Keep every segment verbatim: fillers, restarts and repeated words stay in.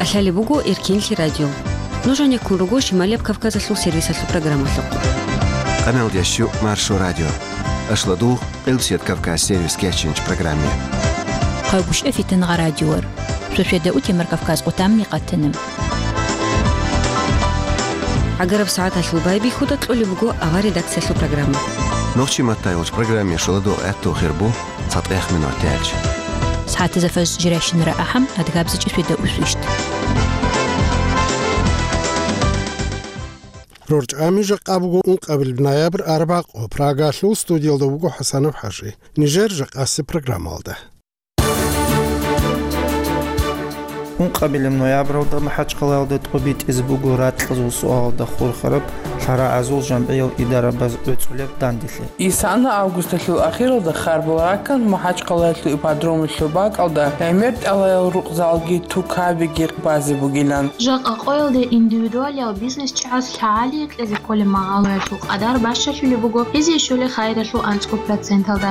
Лъалеб буго Эркинлъи радио. Нуж гьанеккун руго Шималияб Кавказалъул сервисалъул программалъухъ. Къаналдящу Маршо радио. Ашладугъ Къилбсият Кавказ сервис кечинч программе. Хъайгуща фитангъа радиор. Шошеда утемар Кавказ къутамни къатана. Агараб сагӀаталъул байбихьуда кьолеб буго авар редакциялъул программа. Нохчи маттайгъулч программе шоладугъ гӀатту хирбу. ЦатӀех минуталъ. СагӀатазда фаж жирайщинара ахӀам, адгабзичӀи свида усвищт. РорчӀами жакъа буго ункъабил ноябрь арбакъо, Прагалъул студиялда вуго ХӀасанов ХӀажи. Нижер жакъаси программалда. Ункъабилеб ноябралда МахӀачхъалаялда тӀобитӀизе буго ракьазул суалалда хурхараб лъарагӀазул жамгӀиял идарабаз гӀуцӀулеб данделъи. Исана августалъул ахиралда харбал раккан МахӀачхъалаялъул ипподромалъул бакӀалда гӀемер тӀалаял рукъзалги тукабиги базе бугилан. Жакъа къоялде индивидуалиял бизнес чагӀаз лъагӀалие кьезе кколеб магьалаялъул къадар бащалъулеб буго, гьезие щолеб хайиралъул анцӀго проценталда.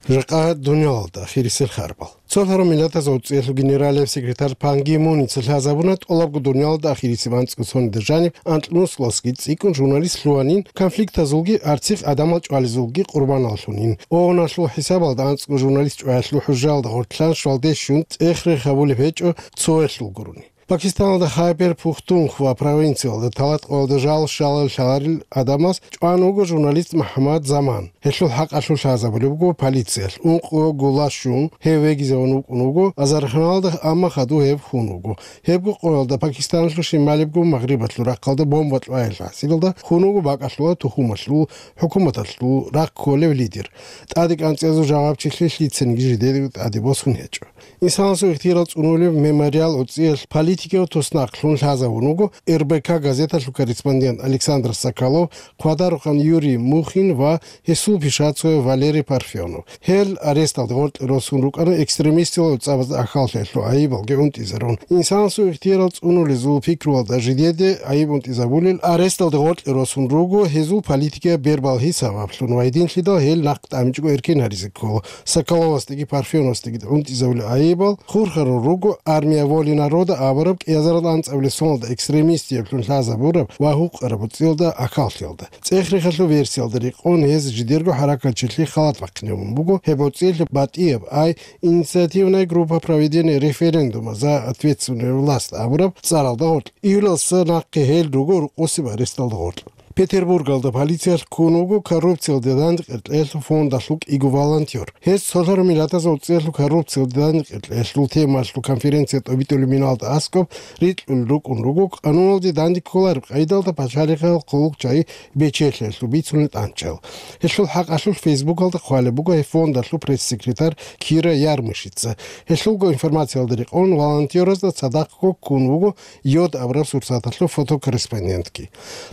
Жакъа дуниялалда ахирисел харбал. Цолъарал Миллатазул ГӀуцӀиялъул генералияб секретарь Пан Ги Муница лъазабуна тӀолабго дуниялалда ахирисеб анцӀго соналда жаниб анкьнусилалдасаги цӀикӀкӀун журналист лъугьанин, конфликтазулги арцихъ гӀадамал чӀвализулги къурбаналлъунин. ООНалъул хӀисабалда анцӀго журналист чӀваялъул хӀужаялда гъорлъ щвалде щун цӀех-рех гьабулеб гьечӀо цоялъул гурони. Пакистаналда Хайбер Пухтунхва провинциялда талат къоялда жал щалал лъаларел гӀадамаз чӀван вуго журналист МухӀаммад Заман. Гьелъул хӀакъалъулъ лъазабулеб буго полициялъ, ункъо гула щун, гьев вегизавун вукӀун вуго азарханалда, амма хадув гьев хун вуго. Гьебго къоялда Пакистаналъул шималибго магърибалъул рахъалда бомба кьваял гьасилалда хун вуго бакӀалъула тухумалъул, хӀукуматалъул рахъ кколев лидер. ТӀаде кӀанцӀиязул жагьурчилъи лъицаниги жидеде тӀаде босун гьечӀо. Инсанасул ихтияр цӀунулеб мемориал гӀуцӀиялъ политикияв туснахълъун лъазабун вуго РБК газеталъул корреспондент Александр Соколов, хъвадарухъан Юрий Мухин ва гьесул пишацояв Валерий Парфенов. Гьел аресталде гъоркье росун рукӀана экстремистилал гӀуцӀабазда ахӀаллъиялъул гӀайибалги гӀунтӀизарун. Инсанасул ихтияр цӀунулезул пикруялда жидеде гӀайиб гӀунтӀизабулел аресталде гъоркье росун руго, гьезул политикияб бербалъи сабаблъун ва гьединлъидал гьел нахъ тӀамичӀого эркин гьаризе ккола. Соколовасдаги Парфеновасдаги гӀунтӀизабулел гӀайибал хурхарал руго «Армия воли народа» абураб кӀиазарал анцӀабилеб соналда экстремистиблъун лъазабураб ва гьукъараб гӀуцӀиялда ахӀаллъиялда. ЦӀех-рехалъул версиялда рекъон гьез жидерго хӀаракатчилъи халат бахъинабун буго, гьеб гӀуцӀиялъе батӀияб ай «Инициативная группа проведения референдума за ответственную власть» абураб цӀаралда гъоркь. Июлалдаса нахъе гьел руго рокъосеб аресталда гъоркь. Петербургалда полициялъ ккун вуго коррупциялде дандекъер кьеялъул фондалъул кӀиго волонтер. Гьез цолъарал миллатазул гӀуцӀиялъул коррупциялде дандекъер кьеялъул темалъул конференция тӀобитӀулеб миналда аскӀоб рикьулел рукӀун руго, къануналде данде кколареб къайдалда пачалихъал хъулухъ-чагӀи бечелъиялъул бицунел тӀанчал. Гьелъул хӀакъалъулъ Фейсбукалда хъвалеб буго гьеб фондалъул пресс-секретарь Кира Ярмышица. Гьелъулго информациялда рекъон волонтеразда цадахъго ккун вуго Йод абураб сурсаталъул фотокорреспондентги.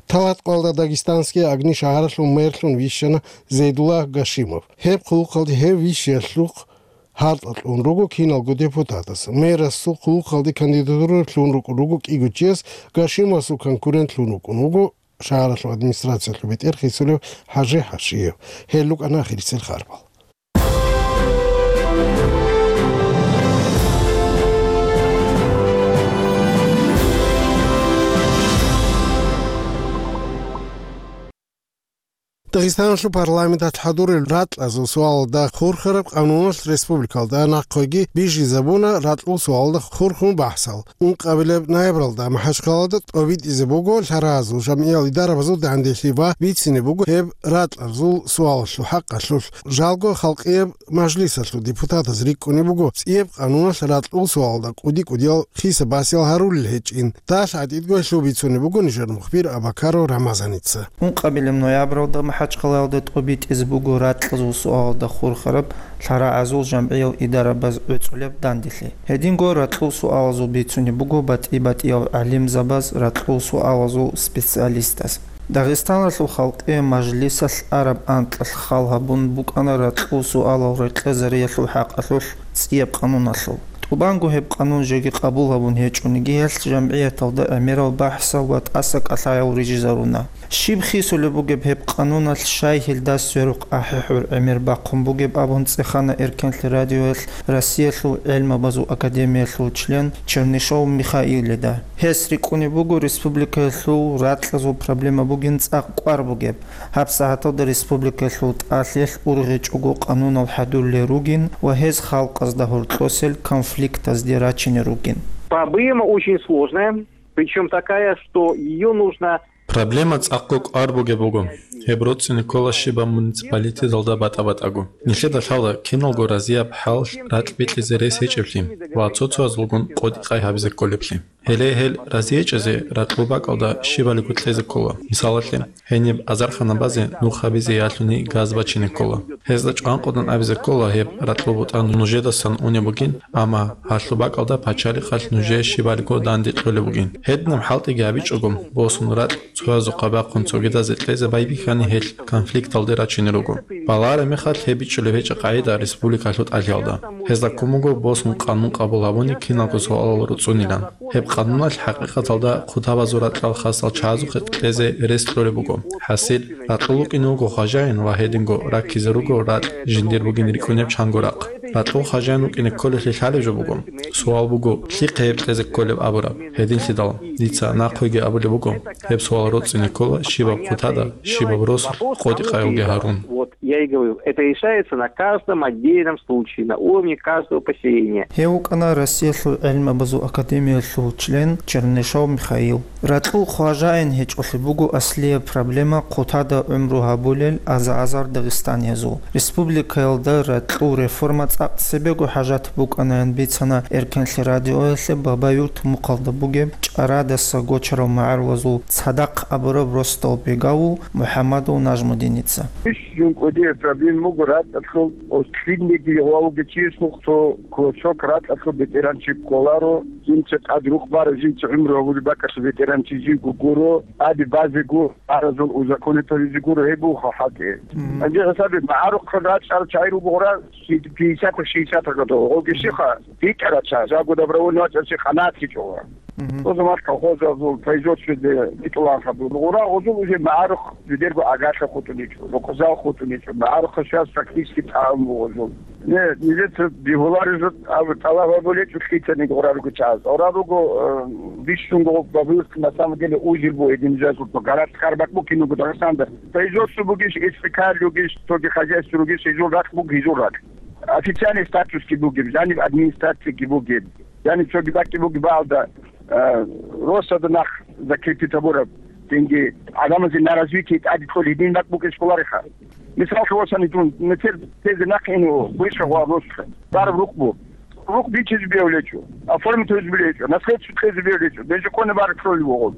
Талат къоялда Дагестанские Огни шагьаралъул мэрлъун вищана Зейдулла Гашимов. Гьеб хъулухъалде гьев вищиялъухъ гьаркьа кьун руго киналго депутатас. Мэрасул хъулухъалде кандидатура лъун рукӀун руго кӀиго чияс, Гашимовасул конкурент лъун вукӀун вуго шагьаралъул администрациялъул бетӀер хисулев ХӀажи ХӀашиев. Гьел рукӀана ахирисел харбал. Дагъистаналъул парламенталъ хӀадурел ракьазул суалалда хурхараб къануналъ республикалда нахъеги бижизабуна ракьул суалалда хурхун бахӀсал. Ункъабилеб ноябралда МахӀачхъалада тӀобитӀизе буго лъаразул жамгӀиял идарабазул данделъи ва бицине буго гьеб ракьазул суалалъул хӀакъалъулъ. Жалго халкъияб мажлисалъул депутатаз рикӀкӀунеб буго цӀияб къануналъ ракьул суалалда кӀуди-кӀудиял хиса-басиял гьарулел гьечӀин. ДалъгӀатӀидго гьелъул бицунеб буго нижер мухбир Абакаров Рамазаница. Ункъабилеб ноябралда МахӀачхъалаялда тӀобитӀизе буго ракьазул суалалда хурхараб лъарагӀазул жамгӀиял идарабаз гӀуцӀулеб данделъи. Гьединго ракьул суалазул бицунеб буго батӀи-батӀиял гӀалимзабаз, ракьул суалазул специалистаз. Дагъистаналъул халкъи мажлисалъ араб анкьалъ хал гьабун букӀана ракьул суалал рекъезариялъул хӀакъалъулъ цӀияб къануналъул. Тубанго гьеб къанун жеги къабул гьабун гьечӀониги, гьелъ жамгӀияталда гӀемерал бахӀсал ва тӀаса кӀалъаял рижизаруна. Щиб хисулеб бугеб гьеб къануналъ, щай гьелда сверухъ ахӀи-хӀур гӀемер бахъун бугеб абун цӀехана Эркенлъи радиоялъ Россиялъул гӀелмабазул академиялъул член Чернышов Михаилида. Гьес рикӀкӀунеб буго республикаялъул ракьазул проблема бугин цӀакъ кӀвар бугеб. Гьаб сагьаталда республикаялъул тӀалъиялъ ургъечӀого къанунал хӀадурулел ругин ва гьез халкъазда гьоркьосел конфликтазде рачине ругин. Проблема очень сложная, причём такая, что её нужно... Проблема цӀакъго кӀвар бугеб буго. Гьеб роцӀцӀине ккола щибаб муниципалитеталда батӀа-батӀаго. Нилъеда лъала киналго разияб хӀал ракь бикьизе рес гьечӀеблъи ва цо-цоязулгун къотӀи-къай гьабизе кколеблъи. Гьеле гьел разиечӀезе ракьул бакӀалда щибалиго кьезе ккола. Мисалалъе, гьениб азарханабазе нух гьабизе ялъуни газ бачине ккола. Гьезда чӀванкъудан абизе ккола гьеб ракьул бутӀан нужедасан унеб бугин, амма гьалъул бакӀалда пачалихъалъ нужее щибалиго данде кьолеб бугин. Гьединаб хӀалтӀиги гьабичӀого, босун ракь цоязухъа бахъун цогидазе кьезе байбихьани гьелъ конфликталде рачине руго. Балагьараб мехалъ гьеб бичӀчӀулеб гьечӀеб къагӀида республикалъул тӀалъиялда. Гьезда ккун буго босун къанун къабул гьабуни киналго суалал руцӀцӀунилан. Гьеб къануналъ хӀакъикъаталда хъутабазул ракьал хасал чагӀазухъе кьезе рес кьолеб буго. ХӀасил, ракьул вукӀине вуго хважаин ва гьединго раккизе руго ракь жиндир бугин рикӀкӀунеб чанго рахъ. Ракьул хважаин вукӀине кколелъи лъалеб жо буго. Суал буго, лъихъе гьеб кьезе кколеб абураб? Гьединлъидал, дица нахъеги абулеб буго, гьеб суал роцӀцӀине ккола щибаб хъутада, щибаб рос къотӀи-къайилги гьарун. Я и говорю, это решается на каждом отдельном случае, на уровне каждого поселения. Гьев вукӀана Россиялъул гӀелмабазул академиялъул член Чернышов Михаил. Ракьул хважаин гьечӀолъи буго аслияб проблема хъутада гӀумру гьабулел аза-азар дагъистаниязул. Республикаялда ракьул реформа цӀакъ цебего хӀажат букӀанаян бицана Эркенлъи радиоялъе Бабаюрт мухъалда бугеб ЧӀарадаса гочарав магӀарулазул цадахъ абураб росдал Бегавул МухӀаммадул Нажмудиница. Бищун кӀудияб проблема буго ракьалъул, ослинниги гъвалги чиясухъ цо кусок ракьалъул ветеранчи кколаро, жинца тӀад рухъ бараб, жинца гӀумру гьабулеб бакӀалъул ветеранчи жийго гуро, тӀаде базего, аразул узаконитализе гуро, гьеб буго хӀалтӀи. Мгм. Гьанже хӀисабе, магӀарухъ рачӀарал чагӀи ругогъура пятьдесят-шестьдесят год, гъоги щиха, битӀарал чагӀи, жаго добровольно вачӀарал чи къанагӀат гьечӀо. Мгм. Гъозумал колхозазул производстводе битӀуланха буго. Гъура гъозул уже магӀарухъ жидерго агарла хутӀуничӀо, рукъзал хутӀуничӀо, магӀарухъ щас практически тӀагӀун буго гъозул. Не, нилеца бигьуларезул аб-, тӀалаб гьабулечӀо лъицаниги гъура руго чагӀаз. Гъура руго, э, бищунго Бабуевский на самом деле узел буго, гьедин жагьлъулъ, городская рахъ буго киналго Дагъистанда. Производство бугищ, СПК ругищ, цоги хозяйство ругищ, гьезул рахъ буго, гьезул рахъ. Официальный статусги бугеб, жаниб администрацияги бугеб. Яни цоги бакӀги буги балда, э, росада нах закрепить гьабураб, тенги гӀадамазе на развитие тӀаде кколеб гьедин бакӀ букӀин школариха. Мисал, хӀалосани дун, метер тезе нахъ ину, буйша гъва росха. Бараб рукъ бу. Рукъ бичизе бегьулечӀо, оформить гьузе бегьулечӀо, наследство кьезе бегьулечӀо, бенжикъоне бараб кколеб буго.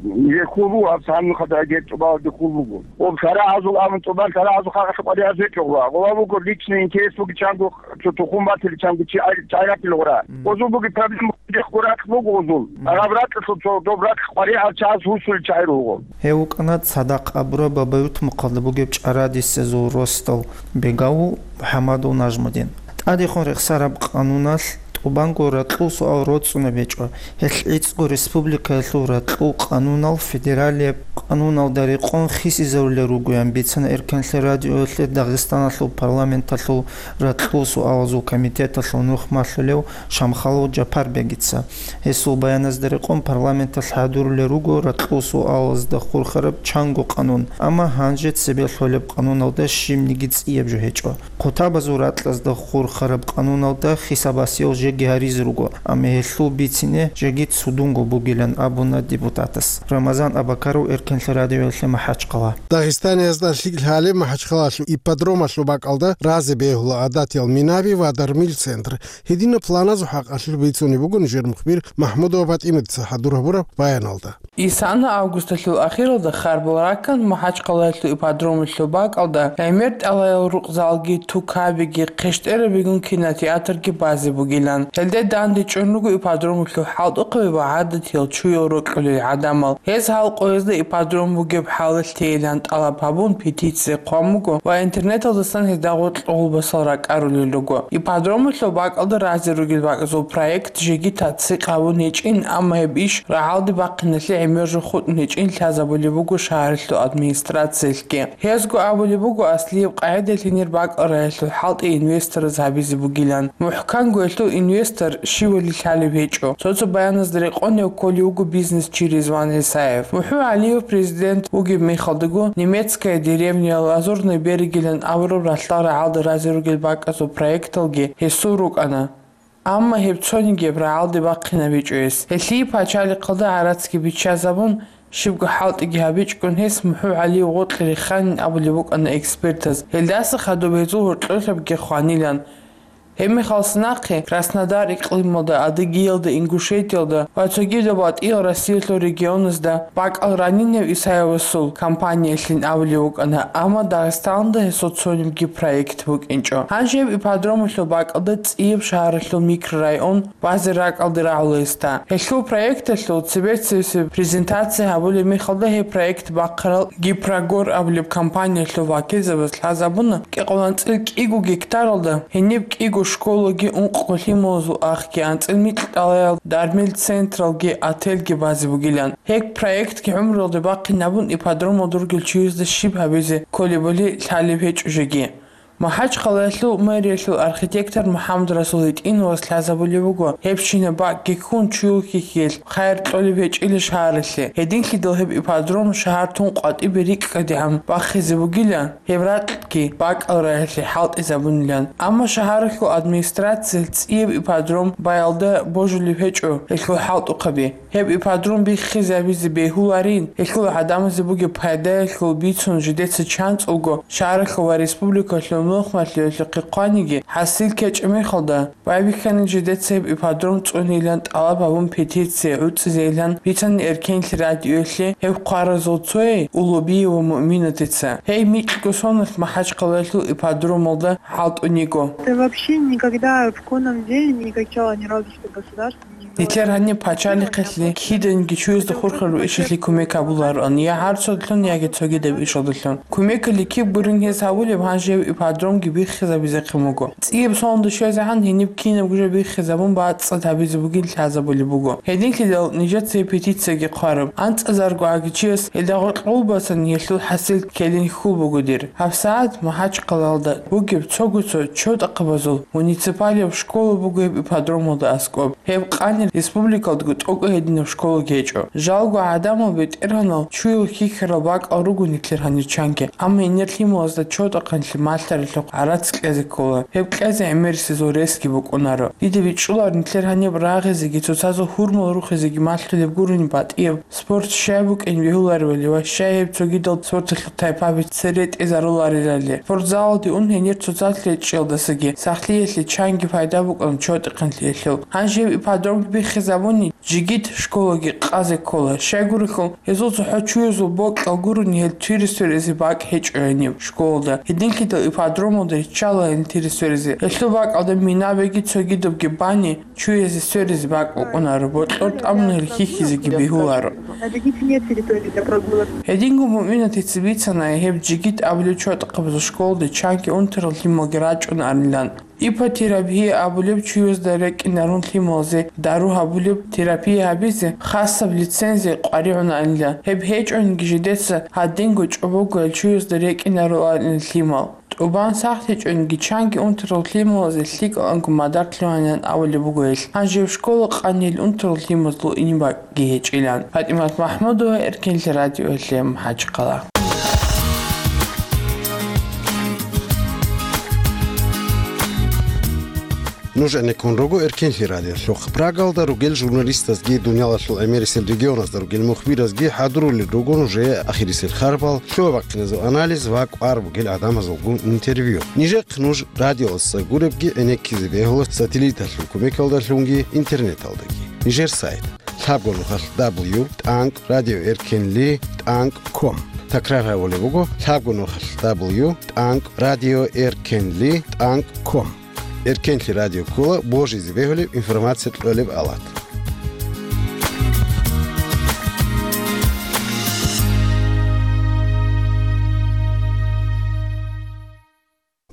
Ниле хьул буго, аб цанухъа дагьаб тӀубалде хьул буго. Об шарагӀазул абун тӀубан, шарагӀазул хагъалъа къваригӀаз гьечӀо гъва. Гъва буго личный интерес буги чанго цо тухум батили, чанго чи ай-, чайракил гъура. Мгм. Гъозул буги проблема, дехъго ракь буго гъозул. Мгм. Агъаб ракьалъул цо доб ракь къваригӀал чагӀаз гьусулел чагӀи руго. Гьев вукӀана цадахъ абураб Бабаюрт мухъалда бугеб ЧӀарадисезул росдал Бегавул МухӀаммадул Нажмудин. ТӀадехун рехсараб къануналъ тӀубанго ракьул суал роцӀцӀунеб гьечӀо. Гьелъ гӀицӀго республикаялъул ракьул къанунал федералияб къануналда рекъон хисизарулел ругоян бицана Эркенлъи радиоялъе Дагъистаналъул парламенталъул ракьул суалазул комитеталъул нух малъулев Шамхалов Жапарбегица. Гьесул баяназда рекъон парламенталъ хӀадурулел руго ракьул суалазда хурхараб чанго къанун, амма гьанже цебе лъолеб къануналда щибниги цӀияб жо гьечӀо. Хъутабазул ракьазда хурхараб къануналда хисабасиял жеги гьаризе руго, амма гьелъул бицине жеги цудунго бугилан абуна депутатас. Рамазан Абакаров, Эркенлъи радиоялъе, МахӀачхъала. Дагъистаниязда лъикӀ лъалеб МахӀачхъалалъул ипподромалъул бакӀалда разе бегьула гӀадатиял минаби ва дармил центр. Гьединаб планазул хӀакъалъулъ бицунеб буго нижер мухбир МахӀмудова ПатӀиматица хӀадур гьабураб баяналда. Исана августалъул ахиралда харбал раккан МахӀачхъалаялъул ипподромалъул бакӀалда гӀемер тӀалаял рукъзалги, тукабиги, хъещтӀерабигун кинотеатрги базе бугилан. Гьелде дандечӀун руго ипподромалъул хӀалтӀухъаби ва гӀадатиял чуял рокьулел гӀадамал. Гьез гьал къоязда ипподром бугеб хӀалалъ тейилан тӀалаб гьабун, петиция хъван буго ва интернеталдасан гьезда гъоркь гъулбасал ракӀарулел руго. Ипподромалъул бакӀалда разе ругел бакӀазул проект жеги тасдикъ гьабун гьечӀин, амма гьеб иш рагӀалде бахъиналъе гӀемер жо хутӀун гьечӀин лъазабулеб буго шагьаралъул администрациялъги. Гьезго абулеб буго, аслияб къагӀидалъ гьенир бакӀал раялъул хӀалтӀи инвестораз гьабизе бугилан. МухӀканго гьелъул инвестор щивали лъалеб гьечӀо. Цо-цо баяназда рекъон гьев кколев вуго бизнесчи Ризван ГӀисаев. МухӀу ГӀалиев президент вугеб мехалдаго, немецкая деревня, Лазурный берегилан абураб ралъдал рагӀалда разе ругел бакӀазул проекталги гьесул рукӀана. Амма гьеб цониги гьеб рагӀалде бахъинабичӀо гьес. Гьелъие пачалихъалда гӀарацги биччазабун, щибго хӀалтӀиги гьабичӀгун гьес МухӀу ГӀалиев гъоркье риханин абулеб букӀана экспертаз. Гьелдаса хадуб гьезул гьоркьолъабги хванилан. Гьеб мехалъ нахъе Краснодар икълималда, Адыгеялда, Ингушетиялда ва цогидаб батӀиял Россиялъул регионазда бакӀал ранин гьев ГӀисаевасул компаниялъин абулеб букӀана, амма Дагъистаналда гьесул цонибги проект букӀинчӀо. Гьанже гьеб ипподромалъул бакӀалда цӀияб шагьаралъул микрорайон базе ракӀалде рагӀула гьесда. Гьелъул проекталъул цебе-цебесеб презентация гьабулеб мехалда гьеб проект бахъарал Гипрогор абулеб компаниялъул вакилзабаз лъазабуна, кӀикъоялда анцӀил кӀиго гектаралда гьениб кӀиго школаги ункъго лъималазул ахги, анцӀил микьалъ тӀалаб дармил централги отельги базе бугилан. Гьеб проектги гӀумруялде бахъинабун, ипподромалда ругел чиясда щиб гьабизе кколебали лъалеб гьечӀо жеги. МахӀачхъалаялъул мэриялъул архитектор МухӀаммадрасул ГьитӀиновас лъазабулеб буго, гьебщинаб бакӀги ккун чуял хьихьиялъ хайир кьолеб гьечӀила шагьаралъе. Гьединлъидал гьеб ипподром шагьар тун къватӀибе рикӀкӀадегӀан бахъизе бугилан, гьеб ракьги бакӀал раялъе хӀалтӀизабунилан. Амма шагьаралъул администрациялъ цӀияб ипподром баялда божулеб гьечӀо гьелъул хӀалтӀухъаби. Гьеб ипподром биххизабизе бегьуларин, гьелъул гӀадамазе бугеб пайдаялъул бицун жидеца чанцӀулго шагьаралъул ва республикалъул нухмалъиялъухъе хъваниги, хӀасил ккечӀеб мехалда, байбихьанин жидеца гьеб ипподром цӀунейилан тӀалаб гьабун петиция гӀуцӀизейилан бицани Эркенлъи радиоялъе гьеб хъваразул цояй Улубиева Муъминатица. Гьей микьго соналъ МахӀачхъалаялъул ипподромалда хӀалтӀун йиго. Да вообще никогда в конном деле не качала ни разу, что государство не делает. Нилъер гьаниб пачалихъалъе киданиги чуязда хурхараб ишалъе кумек гьабулароан, я гьарцудалъун, яги цогидаб ишалдалъун. Кумекалъе киб гурин гьез гьабулеб, гьанже гьеб ипподромги биххизабизехъин буго. ЦӀияб соналда щвезегӀан гьениб кинабго жо биххизабун бацӀцӀад гьабизе бугин лъазабулеб буго. Гьединлъидал нижеца гьеб петициялъги хъвараб, анцӀазарго агичияс гьелда гъоркь гъулбасан гьелъул хӀасил ккелин хьул буго дир. ГьабсагӀат МахӀачхъалаялда бугеб цого-цо чотӀахъабазул муниципалияб школа буго гьеб ипподромалда аскӀоб. Гьеб къанир республикалдаго тӀокӀаб гьединаб школаги гьечӀо. Жалго гӀадамал бетӀергьанал чуял хьихьарал бакӀал руго нилъер гьанир чанги, амма гьенир лъималазда чотӀахъанлъи малъаралъухъ гӀарац кьезе ккола. Гьеб кьезе гӀемерисезул ресги букӀунаро. Дида бичӀчӀулар нилъер гьаниб рагъизеги цоцазул гьурмал рухизеги малъулеб гурони батӀияб спорт щай букӀин бегьуларевали ва щай гьеб цогидал спорталъул тайпаби цере тӀезаруларелали. Спортзалалде ун гьенир цоцазул гьечӀиялдасаги сахлъиялъе чанги пайда букӀун чотӀихъанлъиялъул. Гьанже гьеб ипподромги биххизабуни, жигит школаги къазе ккола. Щайгурелъул, гьезул цохӀо чуязул бокьал гурони гьел тири сверизе бакӀ гьечӀо гьениб школалда. Гьединлъидал ипподромалда риччала гьел тири сверизе. Гьелъул бакӀалда минабиги цогидабги бани, чуязе сверизе бакӀ букӀунаро, бокьор тӀамун гьел хьихьизеги бегьуларо. Гьединго Муъминатица бицана, гьеб жигит абулеб чотӀахъабазул школалде чанги унтарал лъималги рачӀунарилан. Иппотерапия абулеб чуязда рекӀинарун лъималазе дару гьабулеб терапия гьабизе хасаб лицензия къваригӀунарилан. Гьеб гьечӀониги жидеца гьадинго чӀобогоял чуязда рекӀинаруларилан лъимал. ТӀубан сахлъичӀониги чанги унтарал лъималазе лъикӀаланго мадар лъугьанилан абулеб буго гьелъ. Гьанже гьеб школа къанил унтарал лъималазул инибакӀги гьечӀилан. ПатӀимат МахӀмудова, Эркенлъи радиоялъе, МахӀачхъала. Нуж гӀенеккун руго Эркенлъи радиолъухъ. Прагалда ругел журналистазги, дуниялалъул гӀемерисел регионазда ругел мухбиразги хӀадурулел руго нужее ахирисел харбал, лъугьа-бахъиназул анализ ва кӀвар бугел гӀадамазулгун интервью. Нижехъ нуж радиоялдаса гуребги гӀенеккизе бегьула сателлиталъул кумекалдалъунги интернеталдаги. Нижер сайт: лъабго нухалъ дабл ю тӀанкӀ радиоэркенли тӀанкӀ ком. Такрар гьабулеб буго: лъабго нухалъ дабл ю тӀанкӀ радиоэркенли тӀанкӀ ком. Эркенлъи радио ккола божизе бегьулеб информация кьолеб алат.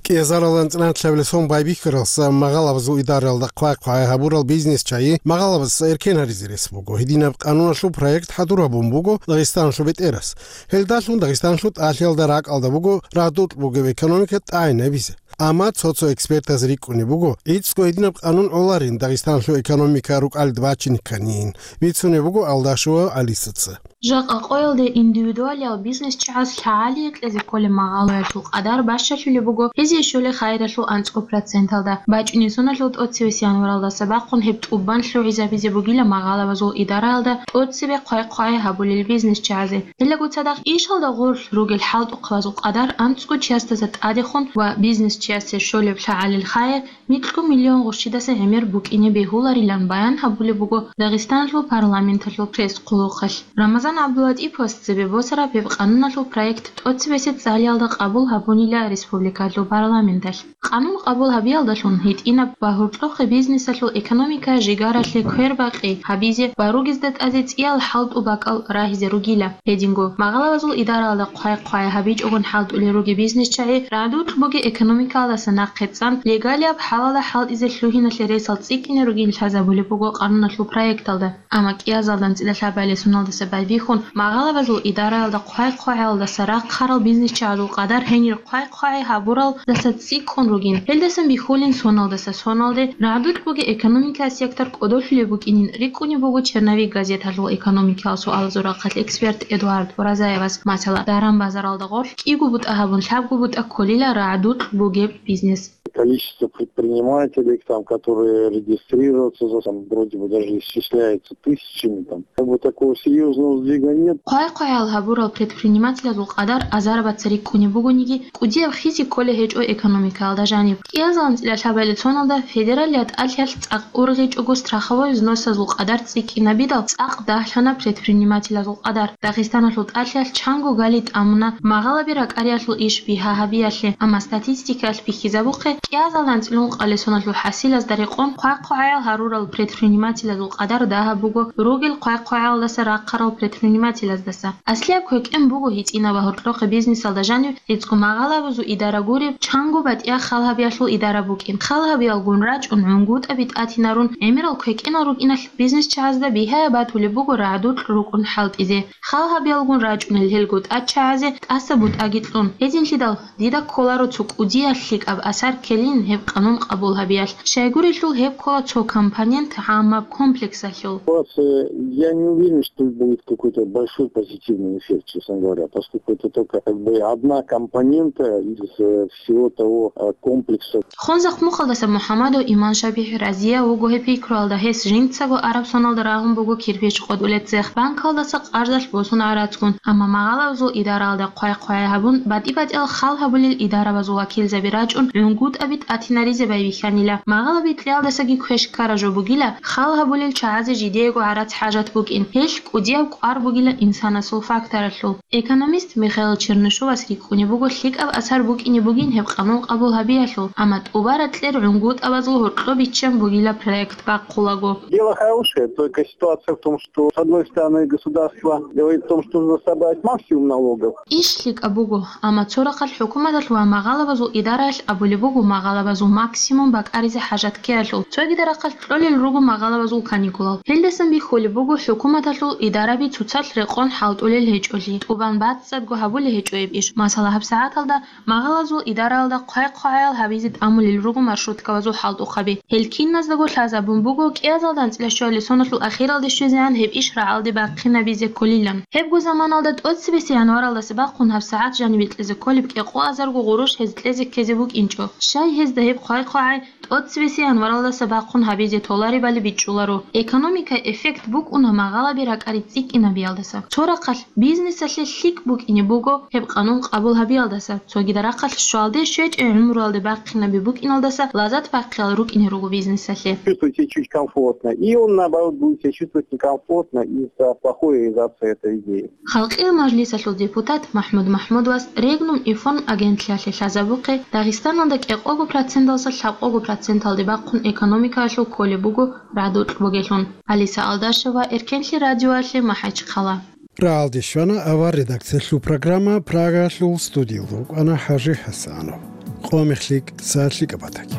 КӀиазаралда анцӀила анлъабилеб сон байбихьаралдаса магъалабазул идараялда хъвай-хъвагӀай гьабурал бизнес-чагӀи магъалабаз эркен гьаризе рес буго. Гьединаб къануналъул проект хӀадур гьабун буго Дагъистаналъул бетӀерас. Гьелдалъун Дагъистаналъул тӀалъиялда ракӀалда буго рагӀдукь бугеб экономика тӀагӀинабизе. Амма цо-цо экспертаз рикӀкӀунеб буго, гӀицӀго гьединаб къанун гӀоларин Дагъистаналъул экономика рукӀалде бачине кканин, бицунеб буго Алдашева Алисаца. Жакъа къоялде индивидуалиял бизнес-чагӀаз лъагӀалие кьезе кколеб магъалаялъул къадар бащалъулеб буго гьезие щолеб хайиралъул анцӀго проценталда. БачӀунеб соналъул тӀоцебесеб январалдаса бахъун гьеб тӀубан лъугӀизабизе бугила магъалабазул идараялда тӀоцебе хъвай-хъвагӀай гьабулел бизнес-чагӀазе. Гьелдаго цадахъ ишалда гъорлъ ругел хӀалтӀухъабазул къадар анцӀго чиясдаса тӀадехун ва бизнес-чиясе щолеб лъагӀалил хайир микьго миллион гъущидаса гӀемер букӀине бегьуларилан баян гьабулеб буго Дагъистаналъул парламенталъул пресс-хъулухъалъ. Рамазан ГӀабдулатӀиповас цебе босараб гьеб къануналъул проект тӀоцебесеб цӀалиялда къабул гьабунила республикалъул парламенталъ. Къанун къабул гьабиялдалъун гьитӀинаб ва гьоркьохъеб бизнесалъул экономика жигаралъе квербакъи гьабизе ва ругезда тӀазе цӀиял хӀалтӀу бакӀал рагьизе ругила. Гьединго, магъалабазул идараялда хъвай-хъвагӀай гьабичӀогун хӀалтӀулел ругел бизнес-чагӀи рагӀдукь бугеб экономикаялдаса нахъе цӀан, легалияб хӀалалда хӀалтӀизе лъугьиналъе ресал цӀикӀкӀине ругин лъазабулеб буго къануналъул проекталда. Амма кӀиазалда анцӀила лъабабилеб соналдаса байбихьун, магъалабазул идараялда хъвай-хъвагӀаялдаса рахъарал бизнес-чагӀазул къадар гьенир хъвай-хъвагӀай гьабуралдаса цӀикӀкӀун ругин. Гьелдасан бихьулин соналдаса соналде рагӀдукь бугеб экономикаялъул сектор кӀодолъулеб букӀинин рикӀкӀунеб буго «Черновик» газеталъул экономикаялъул суалазул рахъалъ эксперт Эдуард Уразаевас. Масала, даран-базаралда гъорлъ кӀиго бутӀа гьабун лъабго бутӀа кколила рагӀдукь бугеб бизнес. Количество предпринимателей, там, которые регистрируются, за- там вроде бы даже исчисляется тысячами, там. Как бы такого серьезного сдвига нет. Хъвай-хъвагӀал гьабурал предпринимателазул къадар азарабаца рикӀкӀунеб бугониги, кӀудияб хизи кколей гьечӀо экономикаялда жаниб. КӀиазалда анцӀила лъабабилеб соналда федералияб тӀалъиялъ цӀакъ ургъичӀого страховой взносазул къадар цӀикӀкӀинабидал цӀакъ дагьлъана предпринимателазул къадар. Дагъистаналъул тӀалъиялъ чанго гали тӀамуна магъалаби ракӀариялъул иш бигьа гьабиялъе, амма статистикаялъ бихьизабухъе, кӀиазалда анцӀила ункъабилеб соналъул хӀасилазда рекъон хъвай-хъвагӀал гьарурал предпринимателазул къадар дагьаб буго ругел хъвай-хъвагӀалдаса рахъарал предпринимателаздаса. Аслияб квекӀен буго гьитӀинаб ва гьоркьохъеб бизнесалда жанив гӀицӀго магъалабазул идара гуреб, чанго батӀияб хал гьабиялъул идара букӀин. Хал гьабиялгун рачӀун гӀунгутӀаби тӀатинарун гӀемерал квекӀенал рукӀиналъ бизнес-чагӀазда бигьаяб батулеб буго рагӀдукь рукӀун хӀалтӀизе. Хал гьабиялгун рачӀунел гьелго тӀадчагӀазе тӀаса бутӀаги кьун. Гьединлъидал дида кколаро цо кӀудияб лъикӀаб асар ккелин гьеб къанун къабул гьабиялъ. Щайгурелъул гьеб ккола цо компонент гӀаммаб комплексалъул. Ситуация, я не уверен, что будет какой-то большой позитивный эффект, честно говоря, поскольку это только как бы одна компонента из э, всего того э, комплекса. Хунзахъ мухъалдаса МухӀаммадов Иман ШабихӀ разияв вуго гьеб пикруялда, гьес жинцаго араб соналда рагьун буго кирпич къотӀулеб цех, банкалдаса къарздалъ босун гӀарацгун, амма магъалабазул идаралда хъвай-хъвай гьабун, батӀи-батӀиял хал гьабулел идарабазул вакилзаби рачӀун, гӀунгутӀаби тӀатинаризе байбихьанила. Магъалаби кьиялдасаги квеш ккара жо бугила, хал гьабулел чагӀазе жидеего гӀарац хӀажат букӀин, гьелъ кӀудияб кӀвар бугила инсанасул факторалъул. Экономист Михаил Чернышовас рикӀкӀунеб буго лъикӀаб асар букӀине бугин гьеб къанун къабул гьабиялъул, амма тӀубараб кьер гӀунгутӀабазул гьоркьоб биччан бугила проект бахъулаго. Дело хорошее, только ситуация в том, что, с одной стороны, государство говорит о том, что нужно собрать максимум налогов. Иш лъикӀаб буго, амма цо рахъалъ хӀукуматалъ ва магъалабазул идараялъ абулеб буго магъалабазул максимум бакӀаризе хӀажат ккеялъул. Цогида рахъалъ кьолел руго магъалабазул каникулал. Гьелдасан бихьулеб буго хӀукуматалъул идараби цоцалъ рекъон хӀалтӀулел гьечӀолъи, тӀубан бацӀцӀадго гьабулей гьечӀо гьеб иш. Масала, гьабсагӀаталда магъалазул идараялда хъвай-хъвагӀаял гьабизе тӀамулел руго маршруткабазул хӀалтӀухъаби. Гьел киназдаго лъазабун буго кӀиазалда анцӀила щуабилеб соналъул ахиралде щвезегӀан гьеб иш рагӀалде бахъинабизе кколилан. Гьебго заманалда тӀоцебесеб январалдаса бахъун гьабсагӀат жанибе кьезе кколеб кӀикъоазарго гъурущ гьез кьезе ккезе букӀинчӀо. Щай гьезда гьеб хъвай-хъвагӀай тӀоцебесеб январалдаса бахъун гьабизе толаребали бичӀчӀуларо. Экономикай эффект букӀуна магъалаби ракӀари цӀикӀкӀинабиялдаса. Цо рахъалъ бизнесалъе лъикӀ букӀине буго гьеб къанун къабул гьабиялдаса, цогида рахъалъ щвалде щвечӀеб гӀумруялде бахъинаби букӀиналдаса лазат бахъиялъ рукӀине руго бизнесалъе. Чувствует себя чуть комфортно, и он, наоборот, будет себя чувствовать некомфортно из-за плохой реализации этой идеи. Халкъиял мажлисалъул депутат МахӀмуд МахӀмудовас Регнум инфо агентлъиялъе лъазабухъе, Дагъистаналда кӀикъо Гьабго проценталдаса лъабкъого проценталде бахъун экономикаялъул кколеб буго рагӀдукь бугелъун. Алиса Алдашева, Эркенлъи радиоялъе, МахӀачхъала. РагӀалде щвана авар редакциялъул программа, Прагаялъул студиялда рукӀана ХӀажи ХӀасанов. Къо мехлъи, са лъикӀаб батаги.